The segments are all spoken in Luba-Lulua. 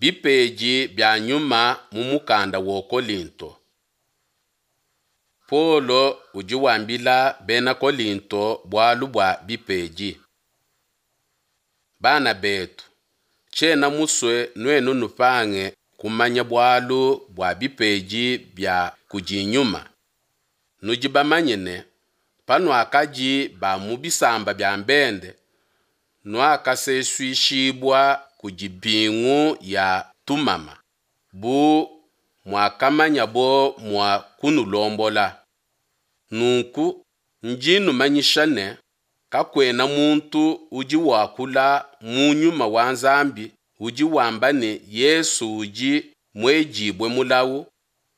Bipedi bia Nyuma mu mukanda wa Kolinto. Paulo udi wambila bena Kolinto bualu bua bipedi. Bana betu, tshiena musue nuenu nupange kumanya bualu bua bipedi bia kudi Nyuma. Nudi bamanye ne, panuakadi ba mu bisamba bia bende, nuakasesuishibua kudi mpingu ya tumama, bu muakamanyabo mua kunulombola. Nunku ndi numanyisha ne, Kakuena muntu udi wakula mu Nyuma wa Nzambi udi wamba ne, Yesu udi muedibue mulawu,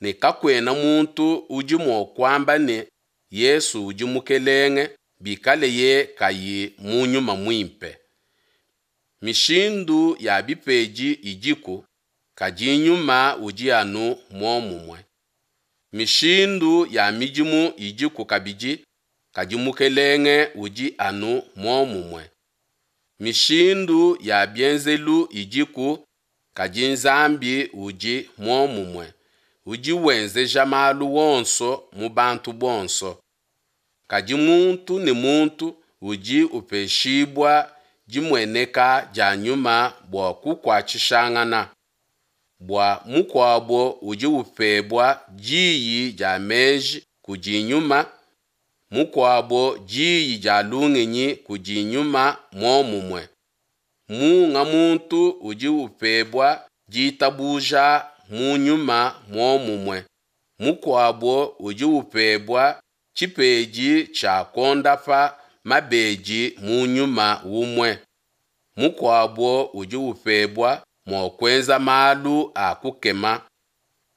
ne kakuena muntu udi mua kuamba ne, Yesu udi Mukelenge, bikaleye kayi mu Nyuma Muimpe. Mishindu ya bipedi idiku, kadi Nyuma udi anu muomumue. Mishindu ya midimu idiku kabidi, kadi Mukelenge udi anu muomumue. Mishindu ya bienzelu idiku, kadi Nzambi udi muomumue, udi wenzeja malu onso mu bantu bonso. Kadi muntu ne muntu udi upeshibua dimueneka dia Nyuma bua kukuatshishangana. Bua mukuabo udi upebua diyi dia meji kudi Nyuma, mukuabo diyi dia lungenyi kudi Nyuma muomumue. Munga muntu udi upebua ditabuja mu Nyuma muomumue, mukuabo udi upebua tshipedi tshia kuondapa mabedi mu Nyuma umue, mukuabo udi upebua mua kuenza malu a kukema,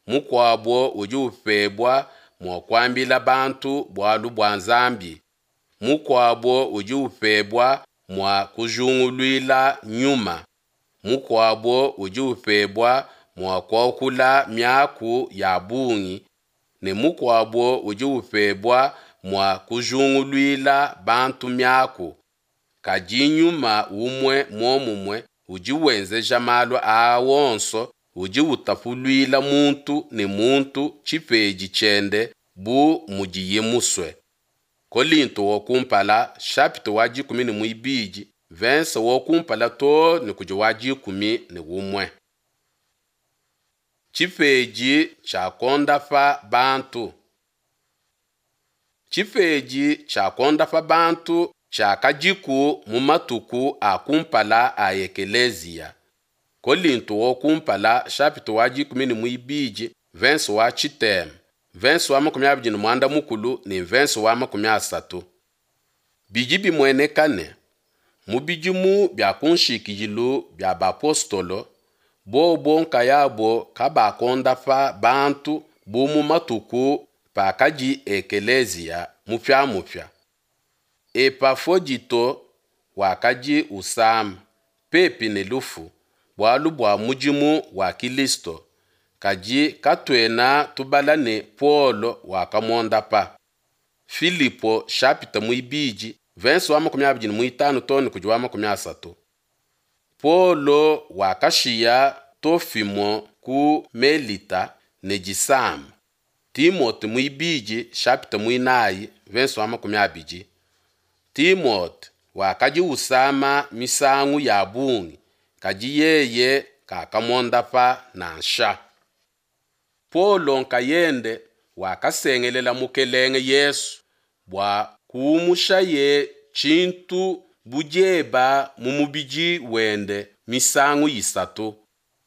mukuabo udi upebua mua kuambila bantu bualu bua Nzambi, mukuabo udi upebua mua kujinguluila nyuma, mukuabo udi upebua mua kuakula miaku ya bungi, ne mukuabo udi upebua mua kujinguluila bantu miaku. Kadi Nyuma umue muomumue udi wenzeja malu aa onso, udi utapuluila muntu ne muntu tshipedi tshiende bu mudiye musue. Kolinto wa kumpala, chapitre wa 12, verse wa kumpala too ne kudi wa 11. Tshipedi tshia kuondapa bantu. Tshipedi tshia kuondapa bantu tshiakadiku mu matuku a kumpala a ekeleziya. Kolinto wa kumpala, chapitre wa 12, verse wa tshitema, verse wa 25 ne verse wa 30. Bidi bimueneka ne, mu bidimu bia ku nshikidilu bia bapostolo, bobo nkayabo kabakondapa bantu bu mu matuku pakadi ekeleziya mupiamupia. Epafodito wakadi usama, pepi ne lufu, bualu bua mudimu wa Kilisto, kadi katuena tubala ne Paulo wakamuondapa. Filipo chapitre 2, verse wa 25 too ne kudi wa 30. Paulo wakashiya Tofimo ku Melita ne disama. Timote 2, chapitre 4, verse wa 20. Timote wakadi usama misangu ya bungi, kadi yeye kakamuondapa nansha. Paulo nkayende wakasengelela Mukelenge Yesu bua kuumushaye tshintu bu dieba mu mubidi wende misangu isatu,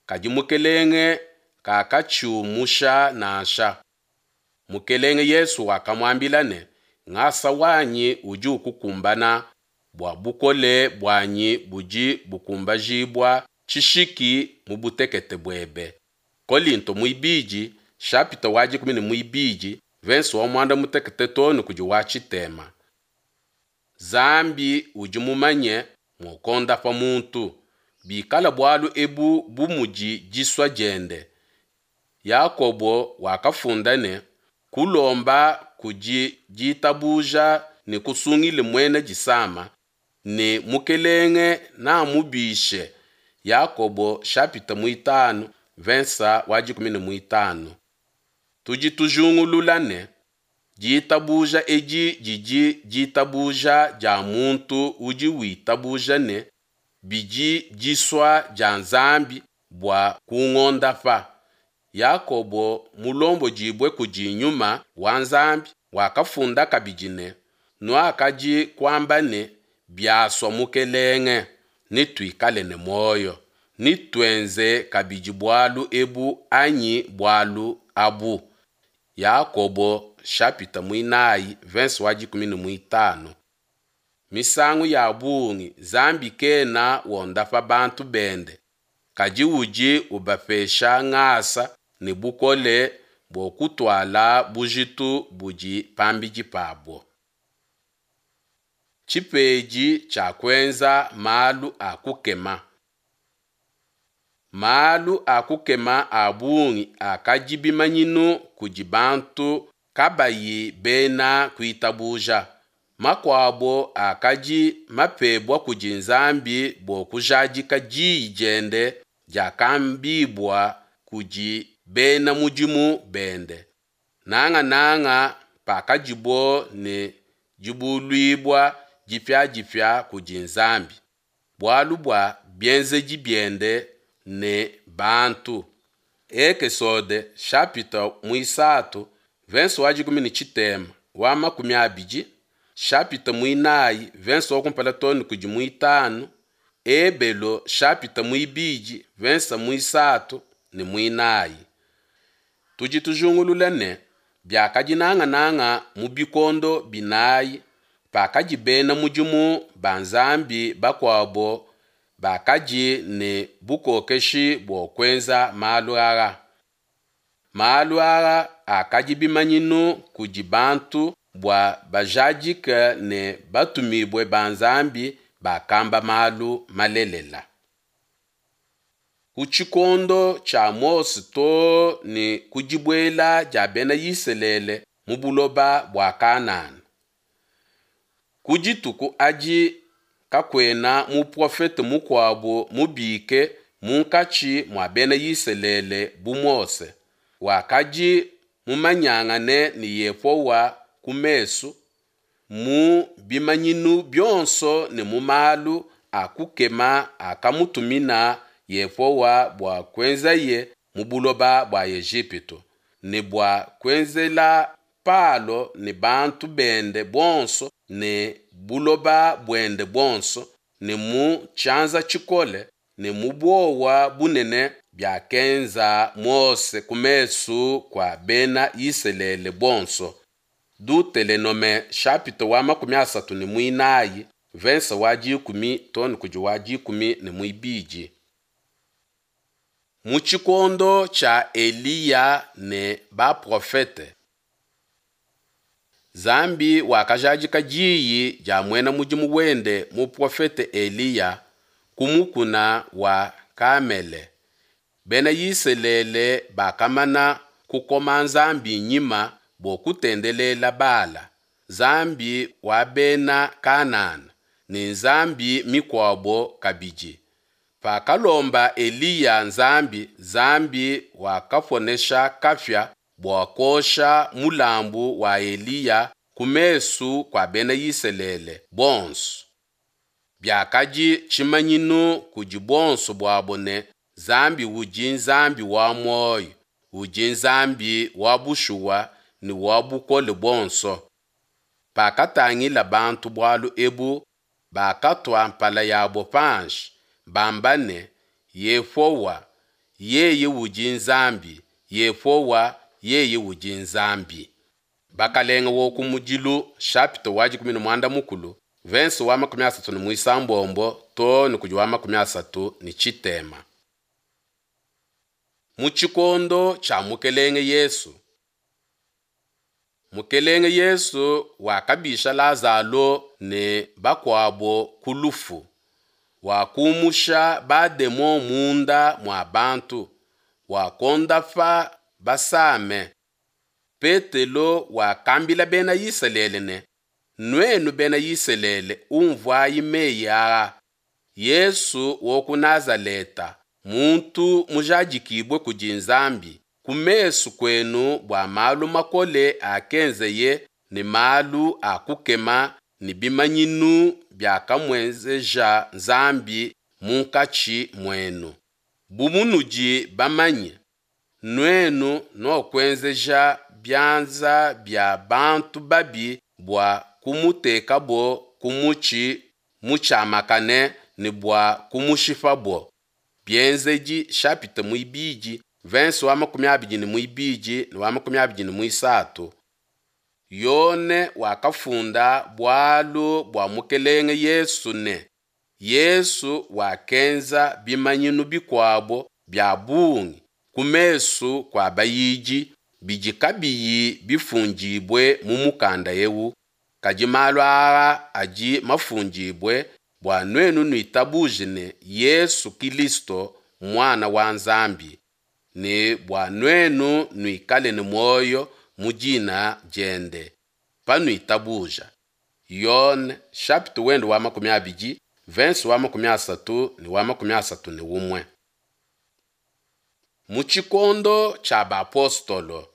kadi Mukelenge kakatshiumusha nansha. Mukelenge Yesu wakamuambila ne, Ngasa wanyi udi ukukumbana, bua bukole buanyi budi bukumbajibua tshishiki mu butekete buebe. Kolinto 2, chapitre wa 12, verse wa 16 too ne kudi wa tshitema. Nzambi udi mumanye mua kuondapa muntu, bikala bualu ebu bu mudi disua diende. Yakobo wakafunda ne, kulomba kudi ditabuja nekusungile muena disama, ne Mukelenge namubishe. Yakobo shapita muitanu vensa wa dikumi ne muitanu. Tudi tujungulula ne, ditabuja edi didi ditabuja dia muntu udi witabuja ne bidi disua dia Nzambi bua kungondapa. Yakobo mulombodibue kudi Nyuma wa Nzambi wakafunda kabidi ne, Nuakadi kuamba ne, Biasua Mukelenge, netuikale ne muoyo, netuenze kabidi bualu ebu anyi bualu abu. Yakobo shapita muinayi verse wa dikumi ne muitanu. Misangu ya bungi Nzambi kena wondapa bantu bende, kadi udi ubapesha ngasa ne bukole bua kutuala bujitu budi pambidi pabo. Tshipedi tshia kuenza malu a kukema. Malu a kukema a bungi akadi bimanyinu kudi bantu kabayi bena kuitabuja. Makuabo akadi mapebua kudi Nzambi bua kujadika diyi diende diakambibua kudi bena mudimu bende, nangananga pakadibo ne dibuluibua dipia-dipia kudi Nzambi, bualu bua bienzedi biende ne bantu. Ekesode shapita muisatu verse wa dikumi ne tshitema wa makumi abidi, shapita muinayi verse wa kumpala too ne kudi muitanu, Ebelo shapita muibidi verse muisatu ne muinayi. Tudi tujungulula ne, biakadi nangananga mu bikondo binayi pakadi bena mudimu ba Nzambi bakuabo bakadi ne bukokeshi bua kuenza malu aa. Malu aa akadi bimanyinu kudi bantu bua bajadike ne batumibue ba Nzambi bakamba malu malelela. Ku tshikondo tshia Mose too ne ku dibuela dia bena Isalele mu buloba bua Kanana. Ku dituku adi kakuena muprofete mukuabo mubike munkatshi mua bena Isalele bu Mose, wakadi mumanyangane ne Yehowa ku mesu, mu bimanyinu bionso ne mu malu a kukema akamutumina Yehowa bua kuenzaye mu buloba bua Ejipitu, ne bua kuenzela Palo ne bantu bende bonso ne buloba buende buonso, ne mu tshianza tshikole ne mu buowa bunene biakenza Mose ku mesu kua bena Isalele bonso. Dutelenome shapita wa makumi asatu ne muinayi verse wa dikumi too ne kudi wa dikumi ne muibidi. Mu tshikondo tshia Eliya ne baprofete, Nzambi wakajadika diyi dia muena mudimu wende muprofete Eliya ku mukuna wa Kamele. Bena Isalele bakamana kukoma Nzambi nyima bua kutendelela Bala, nzambi wa bena Kanana, ne nzambi mikuabo kabidi. Pakalomba Eliya Nzambi, Nzambi wakaponesha kapia bua kuosha mulambu wa Eliya ku mesu kua bena Isalele bonso. Biakadi tshimanyinu kudi buonso buabo ne, Nzambi udi Nzambi wa muoyo, udi Nzambi wa bushuwa ne wa bukole buonso. Pakatangila bantu bualu ebu, bakatua mpala yabo panshi, bamba ne, Yehowa, yeye udi Nzambi, Yehowa, yeye udi Nzambi. Bakalenge wa kumudilu shapita wa dikumi ne muanda mukulu verse wa makumi asatu ne muisambombo too ne kudi wa makumi asatu ne tshitema. Mu tshikondo tshia Mukelenge Yesu, Mukelenge Yesu wakabisha Lazalo ne bakuabo ku lufu, wakumusha bademon munda mua bantu, wakondapa basame. Petelo wakambila bena Isalele ne, Nuenu bena Isalele, unvuayi meyi aa. Yesu wa ku Nazaleta, muntu mujadikibue kudi Nzambi ku mesu kuenu bua malu makole akenzeye ne malu a kukema ne bimanyinu biakamuenzeja Nzambi munkatshi muenu, bu munudi bamanye, nuenu nuakuenzeja bianza bia bantu babi bua kumutekabo ku mutshi mutshiamakane ne bua kumushipabo. Bienzedi chapitre muibidi, verse wa 22 ne wa 23. Yone wakafunda bualu bua Mukelenge Yesu ne, Yesu wakenza bimanyinu bikuabo bia bungi ku mesu kua bayidi bidi kabiyi bifundibue mu mukanda eu, kadi malu aa adi mafundibue bua nuenu nuitabuje ne Yesu Kilisto Muana wa Nzambi, ne bua nuenu nuikale ne muoyo mu dina diende panuitabuja. Yone chapitre wende wa 20, verse wa 30 ne wa 31. Mu tshikondo tshia bapostolo,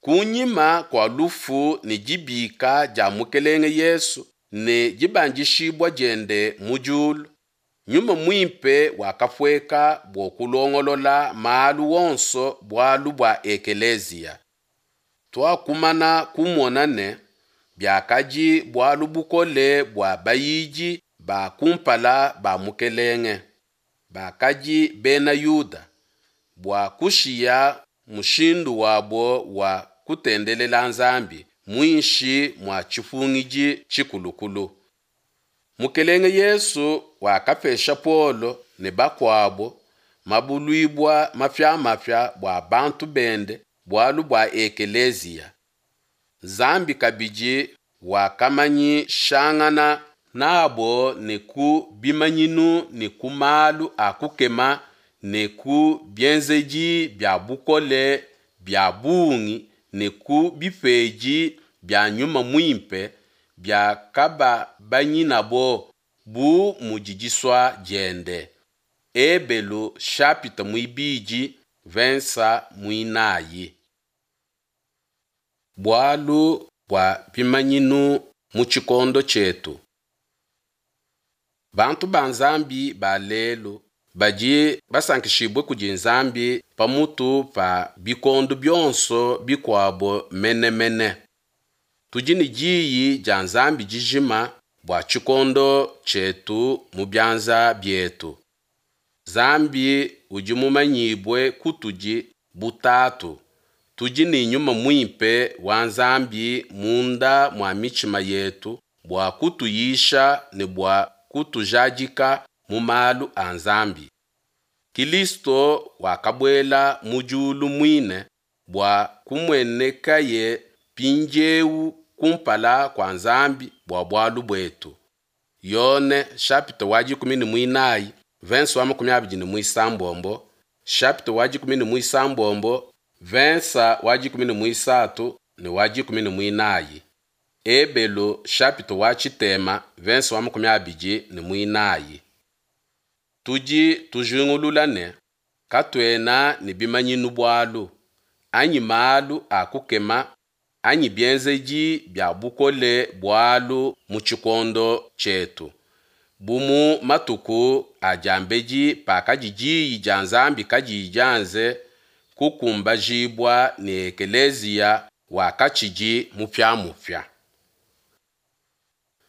kunyima kua lufu ne dibika dia Mukelenge Yesu ne dibandishibua diende mu diulu, Nyuma Muimpe wakapueka bua kulongolola malu onso bualu bua ekeleziya. Tuakumana kumona ne, Biakadi bualu bukole bua bayidi ba kumpala ba Mukelenge, bakadi Bena Yuda, bua kushiya mushindu wabo wa kutendelela Nzambi muinshi mua tshipungidi tshikulukulu. Mukelenge Yesu wakapesha Paulo ne bakuabo mabuluibua mapia-mapia bua bantu bende bualu bua ekeleziya. Nzambi kabidi wakamanyishangana nabo ne ku bimanyinu ne ku malu a kukema ne ku bienzedi bia bukole bia bungi ne ku bipedi bia Nyuma Muimpe biakababanyinabo bu mudi disua diende. Ebelu chapitre muibidi verse muinayi. Bualu bua bimanyinu mu tshikondo tshietu. Bantu ba Nzambi ba lelu badi basankishibue kudi Nzambi pamutu pa bikondo bionso bikuabo mene mene. Tudi ne Diyi dia Nzambi dijima bua tshikondo tshietu mu bianza bietu. Nzambi udi mumanyibue kutudi bu Tatu. Tudi ne Nyuma Muimpe wa Nzambi munda mua mitshima yetu bua kutuyisha ne bua kutujadika mu malu a Nzambi. Kilisto wakabuela mu diulu muine bua kumuenekaye mpindiewu kumpala kua Nzambi bua bualu buetu. Yone chapitre wa 14 verse wa 26, chapitre wa 16 verse wa 13 ne wa 14. Ebelu chapitre wa tshitema verse wa 24. Tudi tujingulula ne katuena ne bimanyinu bualu, anyi malu a kukema, anyi bienzedi bia bukole bualu mu tshikondo tshietu, bu mu matuku a diambedi pakadi Diyi dia Nzambi kadiyi dianze kukumbajibua ne ekeleziya wakatshidi mupia-mupia.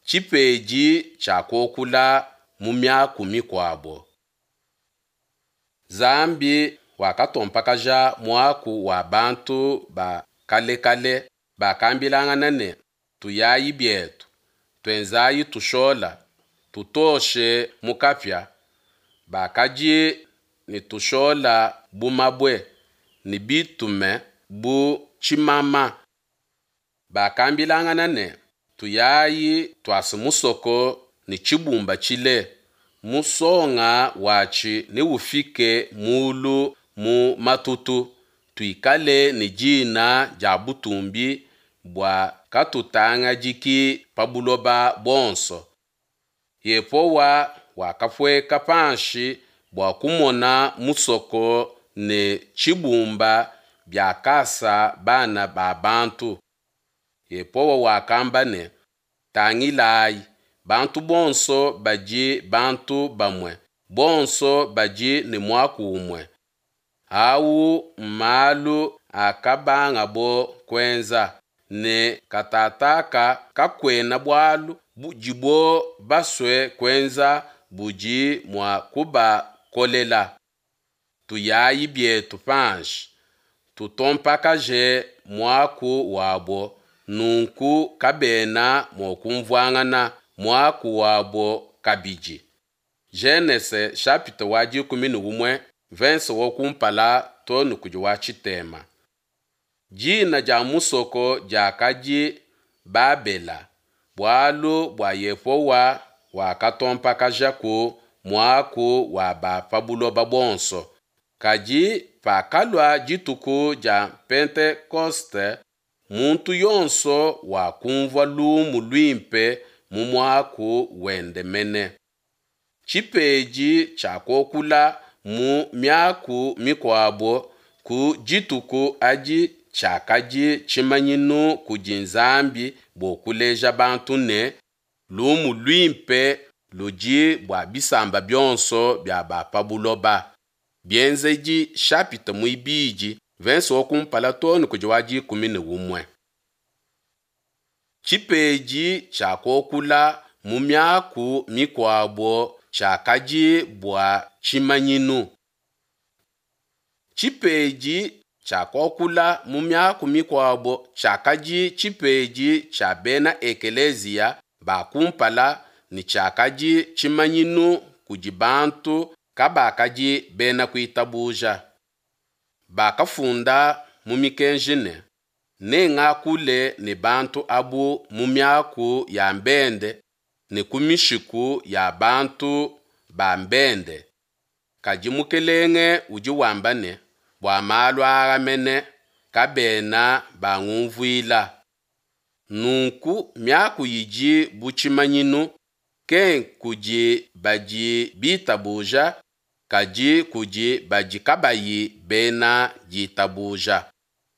Tshipedi tshia kuokula mu miaku mikuabo. Nzambi wakatompakaja muaku wa bantu ba kale kale bakambilangana ne, Tuyayi bietu, tuenzayi tushola, tutoshe mu kapia. Bakadi ne tushola bu mabue, ne bitume bu tshimama. Bakambilangana ne, Tuyayi tuase musoko ne tshibumba tshile, musonga watshi neufike mulu mu matutu, tuikale ne dina dia butumbi bua katutangadiki pa buloba buonso. Yepowa wakapueka panshi bua kumona musoko ne tshibumba biakasa bana ba bantu. Yepowa wakamba ne, Tangilayi, bantu bonso badi bantu bamue, bonso badi ne muaku umue. Au mmalu akabangabo kuenza, ne katataka kakuena bualu budibo basue kuenza budi mua kubakolela. Tuyayi bietu panshi, tutompakaje muaku wabo, nunku kabena mua kumvuangana muaku wabo kabidi. Genese chapitre wa 11 verse wa kumpala to ne kudi wa tshitema. Dina dia musoko diakadi Babela, bualu bua Yehowa wakatompakajaku muaku wa ba pa buloba bonso. Kadi pakalua dituku dia Pentekoste, muntu yonso wakumvua lumu luimpe mu muaku wende mene. Tshipedi tshia kuakula mu miaku mikuabo ku dituku adi tshiakadi tshimanyinu kudi Nzambi bua kuleja bantu ne, lumu luimpe ludi bua bisamba bionso bia ba pa buloba. Bienzedi chapitre muibidi verse wa kumpala too ne kudi wa 11. Tshipedi tshia kuakula mu miaku mikuabo tshiakadi bua tshimanyinu. Tshipedi tshia kuakula mu miaku mikuabo tshiakadi tshipedi tshia bena ekeleziya ba kumpala ne tshiakadi tshimanyinu kudi bantu kabakadi bena kuitabuja. Bakafunda mu mikenji ne, Nengakule ne bantu abu mu miaku ya bende ne ku mishiku ya bantu ba bende. Kadi Mukelenge udi wamba ne, bua malu aa mene kabena bangumvuila. Nunku miaku idi bu tshimanyinu, ke nkudi badi bitabuja, kadi kudi badi kabayi bena ditabuja.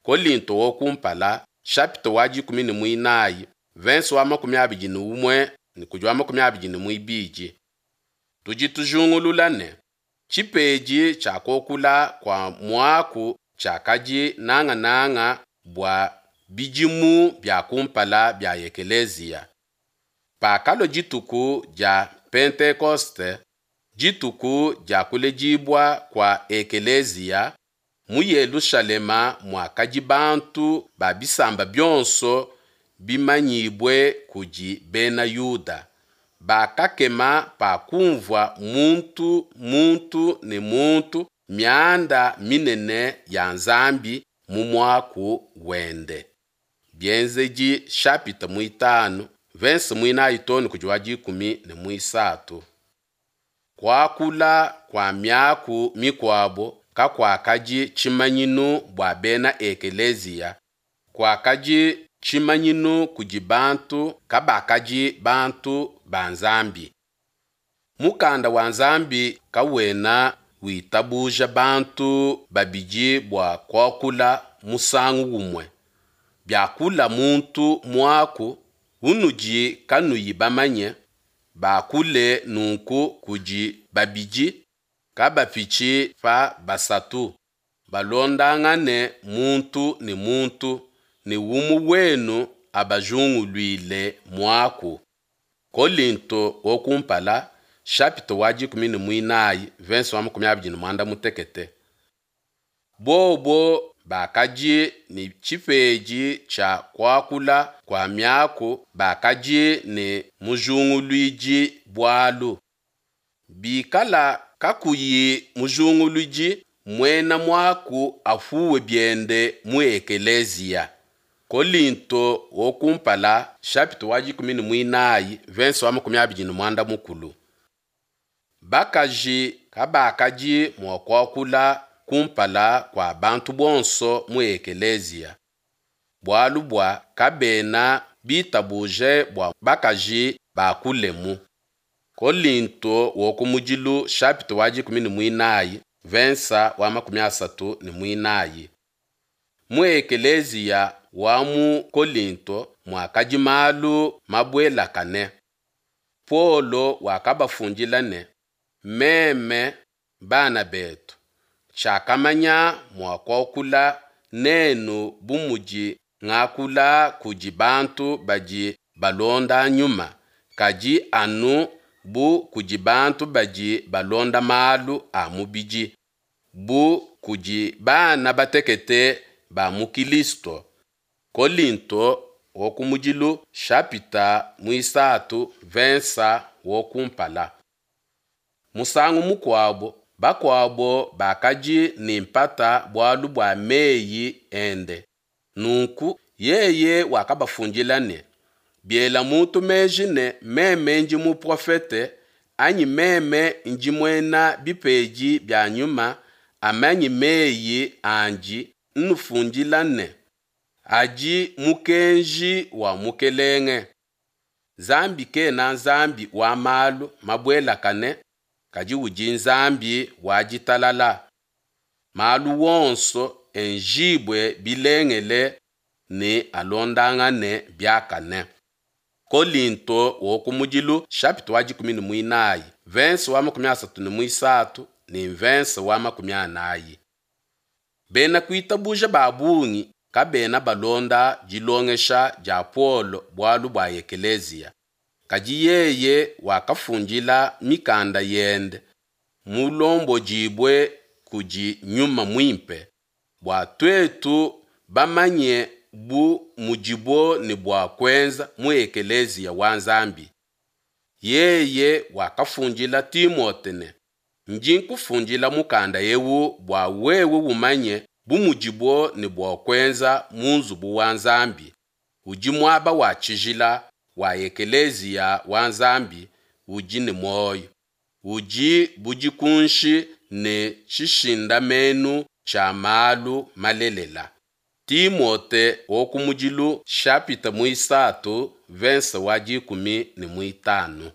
Kolinto wa kumpala, chapitre wa 14, verse wa 21 ne kudi wa 22. Tudi tujingulula ne, tshipedi tshia kuakula kua muaku tshiakadi nangananga bua bidimu bia kumpala bia ekeleziya. Pakalua dituku dia Pentekoste, dituku dia kuledibua kua ekeleziya, mu Yelushalema muakadi bantu ba bisamba bionso bimanyibue kudi Bena Yuda. Bakakema pakumvua muntu muntu ne muntu mianda minene ya Nzambi mu muaku wende. Bienzedi chapitre muitanu, verse muinayi too ne kudi wa 13. Kuakula kua miaku mikuabo kakuakadi tshimanyinu bua bena ekeleziya, kuakadi tshimanyinu kudi bantu kabakadi bantu ba Nzambi. Mukanda wa Nzambi kawena witabuja bantu babidi bua kuakula musangu umue. Biakula muntu muaku unudi kanuyi bamanye, bakule nunku kudi babidi, kabapitshi pa basatu, balondangane muntu ne muntu, ne umue wenu abajinguluile muaku. Kolinto wa kumpala, chapitre wa 14, verse wa 25. Bobo bakadi ne tshipedi tshia kuakula kua miaku bakadi ne mujinguluidi bualu. Bikala kakuyi mujinguludi, muena muaku apuwe biende mu ekeleziya. Kolinto wa kumpala, chapitre wa 14, verse wa 25. Bakaji kabakadi mua kuakula kumpala kua bantu bonso mu ekeleziya, bualu bua kabena bitabuje bua bakaji bakulemu. Kolinto wa kumudilu chapitre wa dikumi ne muinayi vensa wa makumi asatu ne muinayi. Mu ekeleziya wa mu Kolinto muakadi malu mabuelakane. Paulo wakabafundila ne, Meme, bana betu, tshiakamanya mua kuakula nenu bu mudi ngakula kudi bantu badi balonda Nyuma, kadi anu bu kudi bantu badi balonda malu a mubidi, bu kudi bana batekete ba mu Kilisto. Kolinto wa kumudilu shapita muisatu vensa wa kumpala. Musangu mukuabo, bakuabo bakadi ne mpata bualu bua meyi ende, nunku yeye wakabafundila ne, Biela muntu meji ne meme ndi muprofete, anyi meme ndi muena bipedi bia Nyuma, amanye meyi andi nnufundila ne, Adi mukenji wa Mukelenge. Nzambi kena Nzambi wa malu mabuelakane, kadi udi Nzambi wa ditalala. Malu wonso enjibue bilengele ne alondangane biakane. Kolinto wa kumudilu chapitre wa dikumi ne muinayi verse wa makumi asatu ne muisatu ne verse wa makumi anayi. Bena kuitabuja ba bungi kabena balonda dilongesha dia Paulo bualu bua ekeleziya. Kadi yeye wakafundila mikanda yende mulombodibue kudi Nyuma Muimpe, bua tuetu bamanye bu mudibo ne bua kuenza mu ekeleziya wa Nzambi. Yeye wakafundila Timote ne, Ndi nkufundila mukanda eu bua wewe umanye bu mudibo ne bua kuenza mu nzubu wa Nzambi, udi muaba wa tshijila wa ekeleziya wa Nzambi udi ne muoyo, udi bu dikunshi ne tshishindamenu tshia malu malelela. Timote wa kumudilu chapitre muisatu verse wa dikumi ne muitanu.